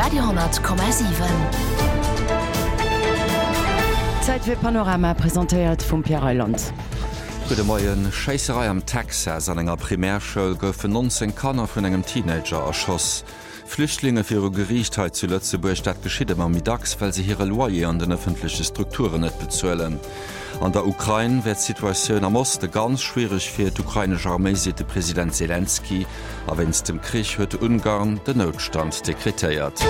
Radio,7. Zäit fir Panorama, presentéiert vum Pierre Reyland. Gudde Moien. Schéisserei am Texas, An enger Primärschoul goufen 19 Kanner vun engem Teenager erschoss. Flüchtlinge viru Geriicht hei zu Lëtzebuerg, dat geschitt ëmmer méi dacks, well se hire Loyer an den ëffentleche Strukturen net bezuelen. An der Ukrain wär d'Situatioun am Oste ganz schwiereg fir d'ukrainesch Arméi, seet de President Selenskyj. A wéinst dem Krich huet Ungarn den Noutstand dekretéiert.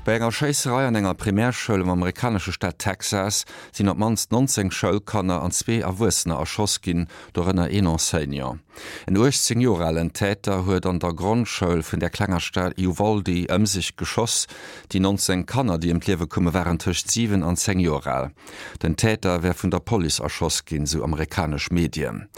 Bei enger Schéisserei an enger Primärschoul am amerikanesche Staat Texas sinn op d'mannst 19 Schoulkanner an zwee Erwuessener erschoss ginn, dorënner een Enseignant. En 18 Joer alen Täter huet an der Grondschoul vun der klenger Stad Uvalde ëm sech geschoss. Déi 19 Kanner, déi ëm d'Liewe koume waren tëscht 7 an 10 Joer al. Den Täter wär vun der Police erschoss ginn, sou amerikanesch Medien.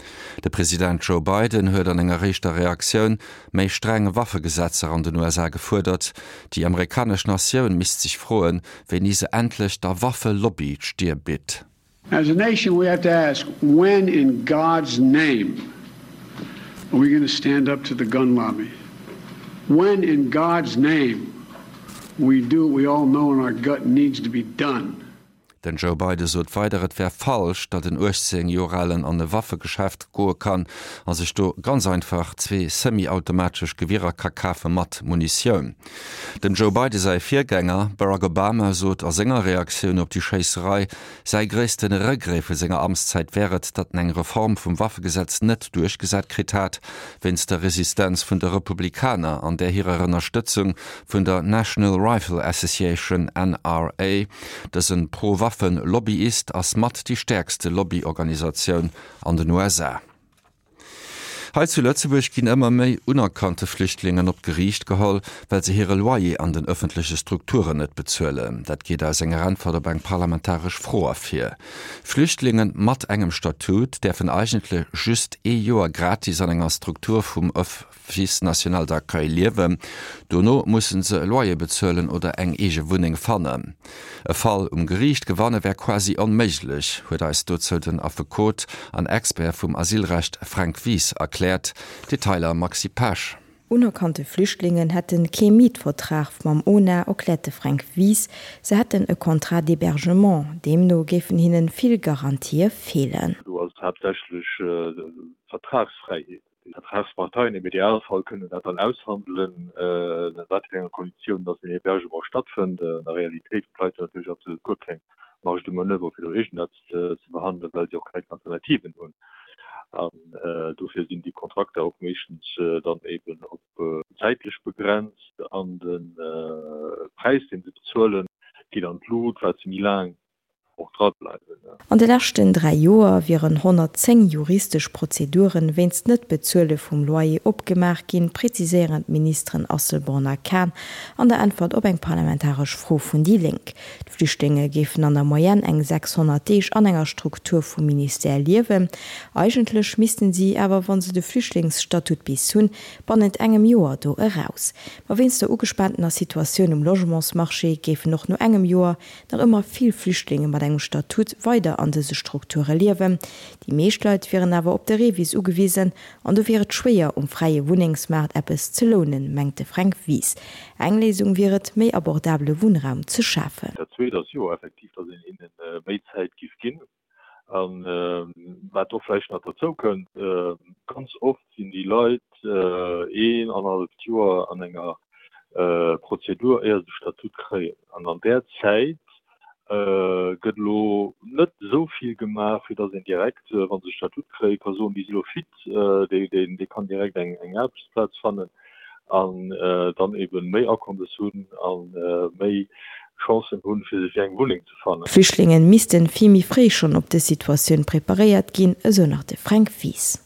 De President Joe Biden huet an enger éischter Reaktioun méi streng Waffegesetzer an den USA gefuerdert. Déi amerikanesch Natioun misst sech froen, wéini se endlech der Waffelobby d'Stier bitt. As a nation we have to ask, when in God's name are we going to stand up to the gun lobby? When in God's name we do what we all know in our gut needs to be done? Den Joe Biden sot weider, et wär falsch, datt en 18 Joer alen an e Waffegeschäft goe kann a sech do ganz einfach zwee semi-automatesch Gewierer ka kafe mat Munitioun. Dem Joe Biden säi Virgänger Barack Obama sot a senger Reaktioun op déi Schéisserei, säi gréisste Regret vu senger Amtszäit wär et, datt en eng Reform vum Waffegesetz net duerchgesat kritt hat, wéinst der Resistenz vun de Republikaner an där hirer Ënnerstëtzung vun der National Rifle Association, NRA. Dëse Pro-Waffen-Lobbyist ass mat déi stäerkste Lobbyorganisatioun an den USA. Hei zu Lëtzebuerg ginn ëmmer méi unerkannte Flüchtlingen op d'Geriicht geholl, well se hire Loyer an den ëffentleche Strukturen net bezuelen. Dat geet aus enger Äntwert op eng parlamentaresch Fro ervir. Flüchtlinge mat engem Statut däerfen eigentlech just ee Joer gratis an enger Struktur vum Office national d'accueil liewen. Dono musse se e Loyer bezuelen oder eng eege Wunneng fannen. E Fall um Geriicht gewanne wär quasi onméiglech, huet eis dozou den Affekot an Expert vum Asylrecht Fränk Wies erkläert. Detailer Maxi Pesch. Unerkannte Flüchtlingen hätte kee Mietvertrag mam ONA, erkläert de Fränk Wies. Se hätten e Contrat d'hébergement. Deemno géifen hinnen vill Garantië feelen. Do ass et haaptsächlech d'Vertragsfräiheet. Déi Vertragsparteien im Idealfall kënnen dat dann aushandelen, ënner wat fir enger Konditioun dass den Hébergement stattfënnt. An der Realitéit hunn d'Leit natierlech absolut guer keng Marge de manoeuvre fir do iergendeppes ze verhandelen, well si och keng Alternativen hunn. An dofir sinn déi Kontrakter och meeschtens dann eben op zäitlech begrenzt an de Präis, dee se bezuelen, geet an d'Lut, wat se méi laang och dra bleiwen. An de leschten 3 Joer wieren 110 juristesch Prozeduren wéinst Net-Bezuele vum Loyer opgemaach ginn, präziséieren d'Ministeren Asselborn a Kahn an der Äntwert op eng parlamentaresch Fro vun déi Lénk. D'Flüchtlinge géifen an der Moyenne eng 600 Deeg an enger Struktur vum Ministère liewen. Eigentlech missten si awer, wa se de Flüchtlingsstatut bis hunn, bannent engem Joer do eraus. Ma wéinst der ugespaantener Situatioun um Logementsmarché géifen och no engem Joer nach ëmmer vill Flüchtlinge mat engem Statut weider an dëse Strukture liewen. Déi meescht Leit wieren awer op de REVIS ugewisen an do wier et schwéier, um fräie Wunnengsmaart eppes ze lounen, mengt de Fränk Wies. Eng Léisung wier et, méi abordabele Wunnraum ze schafen. Dat Zweet ass jo effektiv, datt een hinne méi Zäit giff ginn. A wat och vläicht nach derzou kënnt, ganz oft sinn déi Leit een, annerhalleft Joer an enger Prozedur, éier se de Statut kréien. An an där Zäit gëtt elo net esou vill gemaach, fir datt een direkt, wa se de Statut kréien, ka soen, déi si elo fit, dee kann direkt eng Aarbechtsplaz fannen. an dann eben méi Akommes hunn a méi Chancen hunn, fir sech eng Wunneng ze fannen. D'Flüchtlingen missten vill méi fréi schonn op dës Situatioun preparéiert ginn, esou nach de Fränk Wies.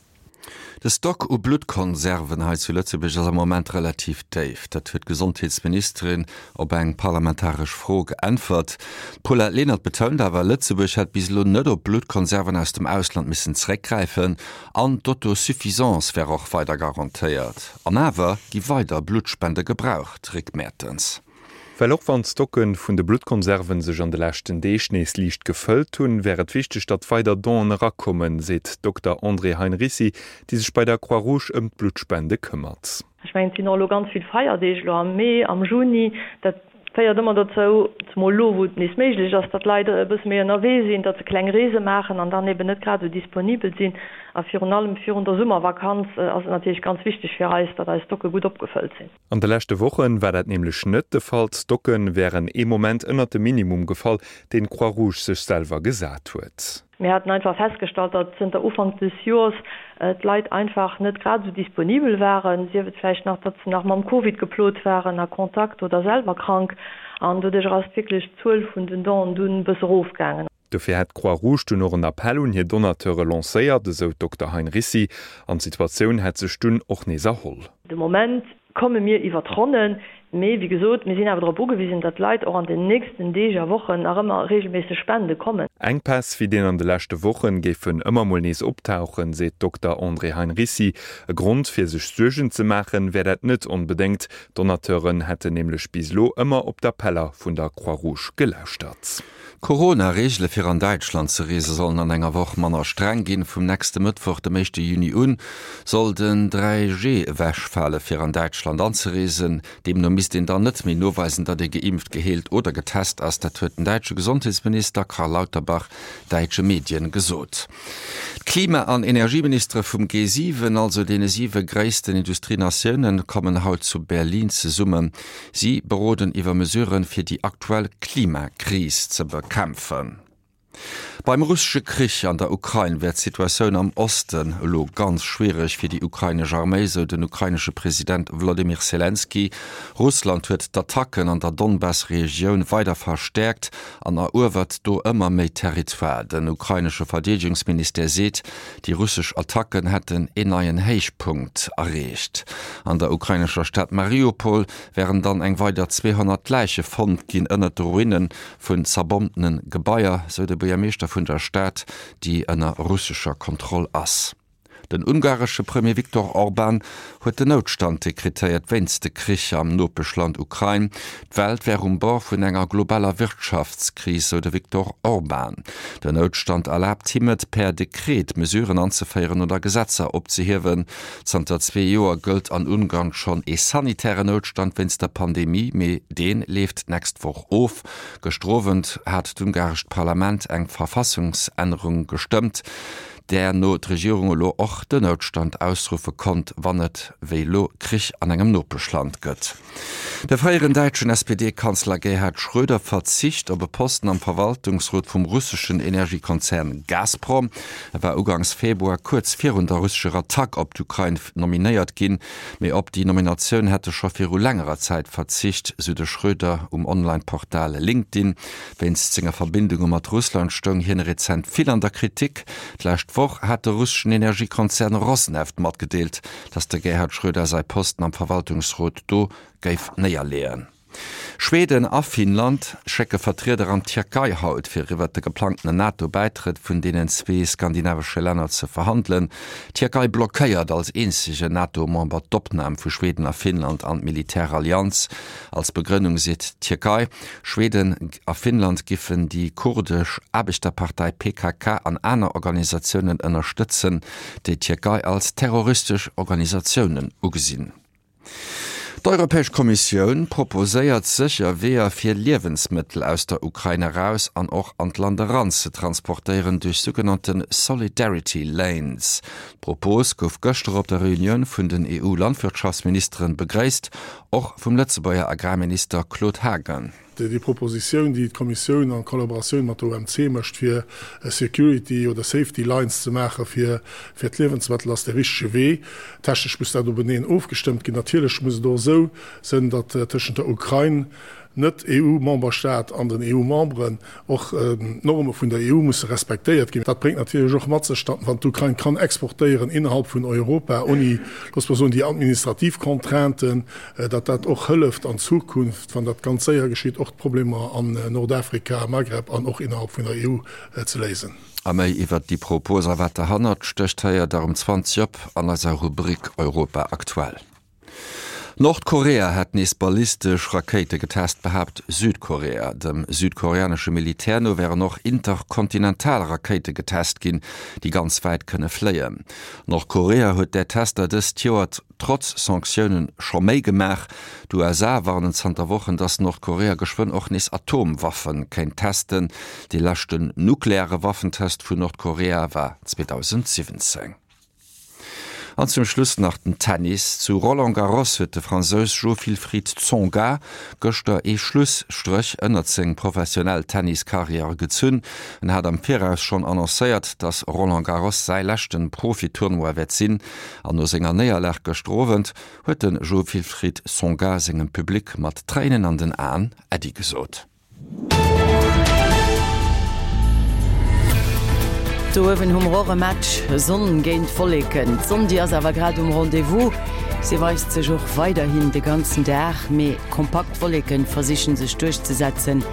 De Stock u Bluttkonserven hei zu Lëtzebuerg ass am Moment relativ déif. Dat huet d'Gesondheetsministerin op eng parlamentaresch Fro geäntwert. D'Paulette Lenert betount awer, Lëtzebuerg hätt bis elo net op Bluttkonserven aus dem Ausland missen zeréckgräifen An d'Autosuffisance wär och weider garantéiert. An awer gi weider Bluttspende gebraucht, Rick Mertens. Well och wann d'Stocke vun de Bluttkonserven sech an de leschten Deeg nees liicht gefëllt hunn, wär et wichteg, datt weider Donen erakommen, seet d'Dokter Andrée Heinricy, déi sech bei der Croix-Rouge ëm d'Bluttspende këmmert. Ech mengen, et sinn och elo ganz vill Feierdeeg elo am Mee, am Juni. Dat féiert ëmmer dozou, zemol elo, wou et nees méiglech ass, datt d'Leit e bësse méi ënnerwee sinn, datt se kleng Reese maachen an dann eben net grad esou disponibel sinn. A virun allem virun der Summervakanz ass et natierlech ganz wichteg fir eis, datt eis Stocke gutt opgefëllt sinn. An de leschte Woche war dat nämlech net de Fall. D'Stocke wären ee Moment ënnert de Minimum gefall, deen d'Croix-Rouge sech selwer gesat huet. Mir haten einfach festgestallt, datt zënter Ufank des Joers d'Leit einfach net grad esou disponibel waren, sief et vläicht nach, datt se nach mam Covid geplot waren, a Kontakt oder selwer krank. An doduerch ass wierklech d'Zuel vun den Donen dunn e bësse erofgaangen. Dofir hätt d'Croix-Rouge dunn och en Appell un hir Donateure lancéiert, esou d'Dokter Heinricy. An d'Situatioun hätt sech dunn och nees erholl. De Moment komme mir iwwer d'Ronnen, mee wéi gesot, mir sinn awer drop ugewisen, datt d'Leit och an den nächsten Deeg a Wochen nach ëmmer reegelméisseg spende kommen. Enkpäss wéi deen an de leschte Wochen géifen ëmmer mol nees optauchen, seet d'Dokter Andrée Heinricy. E Grond fir sech Suergen ze maachen, wär dat net onbedéngt. D'Donateuren hätten nämlech bis elo ëmmer op d'Appeller vun der Croix-Rouge gelauschtert. D'Corona-Reegele fir an Däitschland ze reese sollen an enger Woch manner streng ginn. Vum nächste Mëttwoch, dem éischte Juni un, soll den 3G ewechfale fir an Däitschland anzereesen. Deemno misst een dann net méi noweisen, datt ee geimpft, geheelt oder getest ass. Dat huet den däitsche Gesondheetsminister Karl Lauterbach däitsche Medien gesot. D'Klima an Energieministere vum G7, also deene siwe gréissten Industrienatiounen, kommen haut zu Berlin zesummen. Si beroden iwwer Mesuren, fir déi aktuell Klimakris ze bekämpfen. Beim russesche Krich an der Ukrain wär d'Situatioun am Osten elo ganz schwiereg fir déi ukrainesch Arméi, sou den ukrainesche President Wlodymyr Selenskyj. Russland huet d'Attacken an der Donbass-Regioun weider verstäerkt an eruewert do ëmmer méi Territoire. Den ukrainesche Verdeedegungsministère seet, Déi russesch Attacken hätten een neien Héichpunkt erreecht. An der ukrainescher Stad Mariupol wären dann eng weider 200 Läiche fonnt ginn ënnert de Ruine vun zerbombtene Gebaier, sou de Buergermeeschter vun der Stad, déi ënner russescher Kontroll ass. Den ungaresche Premier Viktor Orban huet den Noutstand dekretéiert wéinst de Krich am Nopeschland Ukrain. D'Welt wär um Bord vun enger globaler Wirtschaftskris, sou de Viktor Orban. Den Noutstand erlaabt him et, per Dekret Mesuren anzeféieren oder Gesetzer opzehiewen. Zanter zwee Joer gëllt an Ungarn schonn ee sanitären Noutstand wéinst der Pandemie, mee dee leeft d'nächst Woch of. Gëschter Owend hat d'ungarescht Parlament eng Verfassungsännerung gestëmmt, där no d'Regierung elo och den Noutstand ausruffe konnt, wann et wéi elo Krich an engem Nopeschland gëtt. De fréieren däitschen SPD-Kanzler Gerhard Schröder verzicht op e Posten am Verwaltungsrot vum russeschen Energiekonzern Gazprom. E war ugangs Februar kuerz virun der russescher Attack op d'Ukrain nominéiert ginn, mee op déi Nominatioun hätt e scho viru längerer Zäit verzicht, sou de Schröder um Online-Portal LinkedIn. Wéinst senger Verbindunge mat Russland stoung hien rezent vill an der Kritik. D'lescht Woch hat de russeschen Energiekonzern Rosneft matgedeelt, datt de Gerhard Schröder säi Posten am Verwaltungsrot do géif néierleeën. Schweden a Finnland schécke Vertrieder an d'Tierkei haut, fir iwwert de geplangtenen NATO-Bäitrëtt vun deenen zwee skandinavesche Länner ze verhandelen. D'Tierkei blockéiert als eenzegen NATO-Member d'Opnam vu Schweden a Finnland an d'Militärallianz. Als Begrënnung seet d'Tierkei, Schweden a Finnland giffen déi kurdesch Aarbechterpartei PKK an aner Organisatiounen ënnerstëtzen, déi d'Tierkei als terroristesch Organisatiounen ugesinn. D'Europäesch Kommissioun proposéiert sécher Weeër fir Liewensmëttel aus der Ukrain eraus an och an d'Land eran ze transportéieren duerch sougenannte Solidarity Lanes. D'Propos gouf gëschter op der Reunioun vun den EU-Landwirtschaftsministeren begréisst, och vum Lëtzebuerger Agrarminister Claude Haagen. Déi Propositioun, déi d'Kommissioun en Collaboratioun mat der OMC mécht, fir Security oder Safety Lines ze maache fir d'Liewensmëttel, ass de richtege Wee. Technesch muss dat openeen ofgestëmmt ginn. Natierlech muss et och esou sënn, datt tëschent der Ukrain, Net-EU-Memberstaat, an den EU-Memberen och d'Norme vun der EU musse respektéiert ginn. Dat bréngt natierlech och mat sech, datt wann d'Ukrain kann exportéieren innerhalb vun Europa, ouni, loosse mer soen, déi administrativ Contrainten, datt dat och hëlleft an Zukunft, wann dat ganz séier geschitt, och d'Problemer an Nordafrika, Maghreb an och innerhalb vun der EU ze léisen. A méi iwwert déi Propos a wat derhannert stécht, héiert der um 20 op an eiser Rubrik Europa aktuell. Nordkorea hätt nees ballistesch Rakéite getest, behaapt Südkorea. Dem südkoreanesche Militär no wären och interkontinental Rakéite getest ginn, déi ganz wäit kënne fléien. Nordkorea huet där Tester dëst Joer trotz Sanktioune scho méi gemaach. D'USA warnen zanter Wochen, datt Nordkorea geschwënn och nees Atomwaffe kéint testen. Dee leschten nukleare Waffentest vun Nordkorea war 2017. An zum Schluss nach den Tennis. Zu Roland Garros huet de Fransous Jo-Wilfried Tsonga gëschter ee Schlusstréch ënnert seng professionell Tennis-Karriär gezunn. En hat am Viraus schonn annoncéiert, dass Roland Garros säi leschte Profi-Tournoi wäert sinn. An no senger Néierlag gëschter Owend huet de Jo-Wilfried Tsonga sengem Public mat Tréinen an den Aen Äddi gesot. Do uewen hu mer och e Match, Sonn géint Wolleken. D'Sonn déi ass awer grad um Rendez-vous, si weist sech och weiderhin de ganzen Dag, mee kompakt Wolleken versichen sech duerchzesetzen.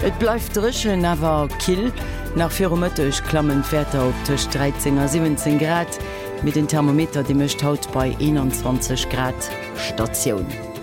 Et bleift dréchen, awer kill. Nach viru Mëtteg klammen d'Wäerter op tëscht 13 a 17 Grad, mee den Thermometer dee mécht haut bei 21 Grad Statioun.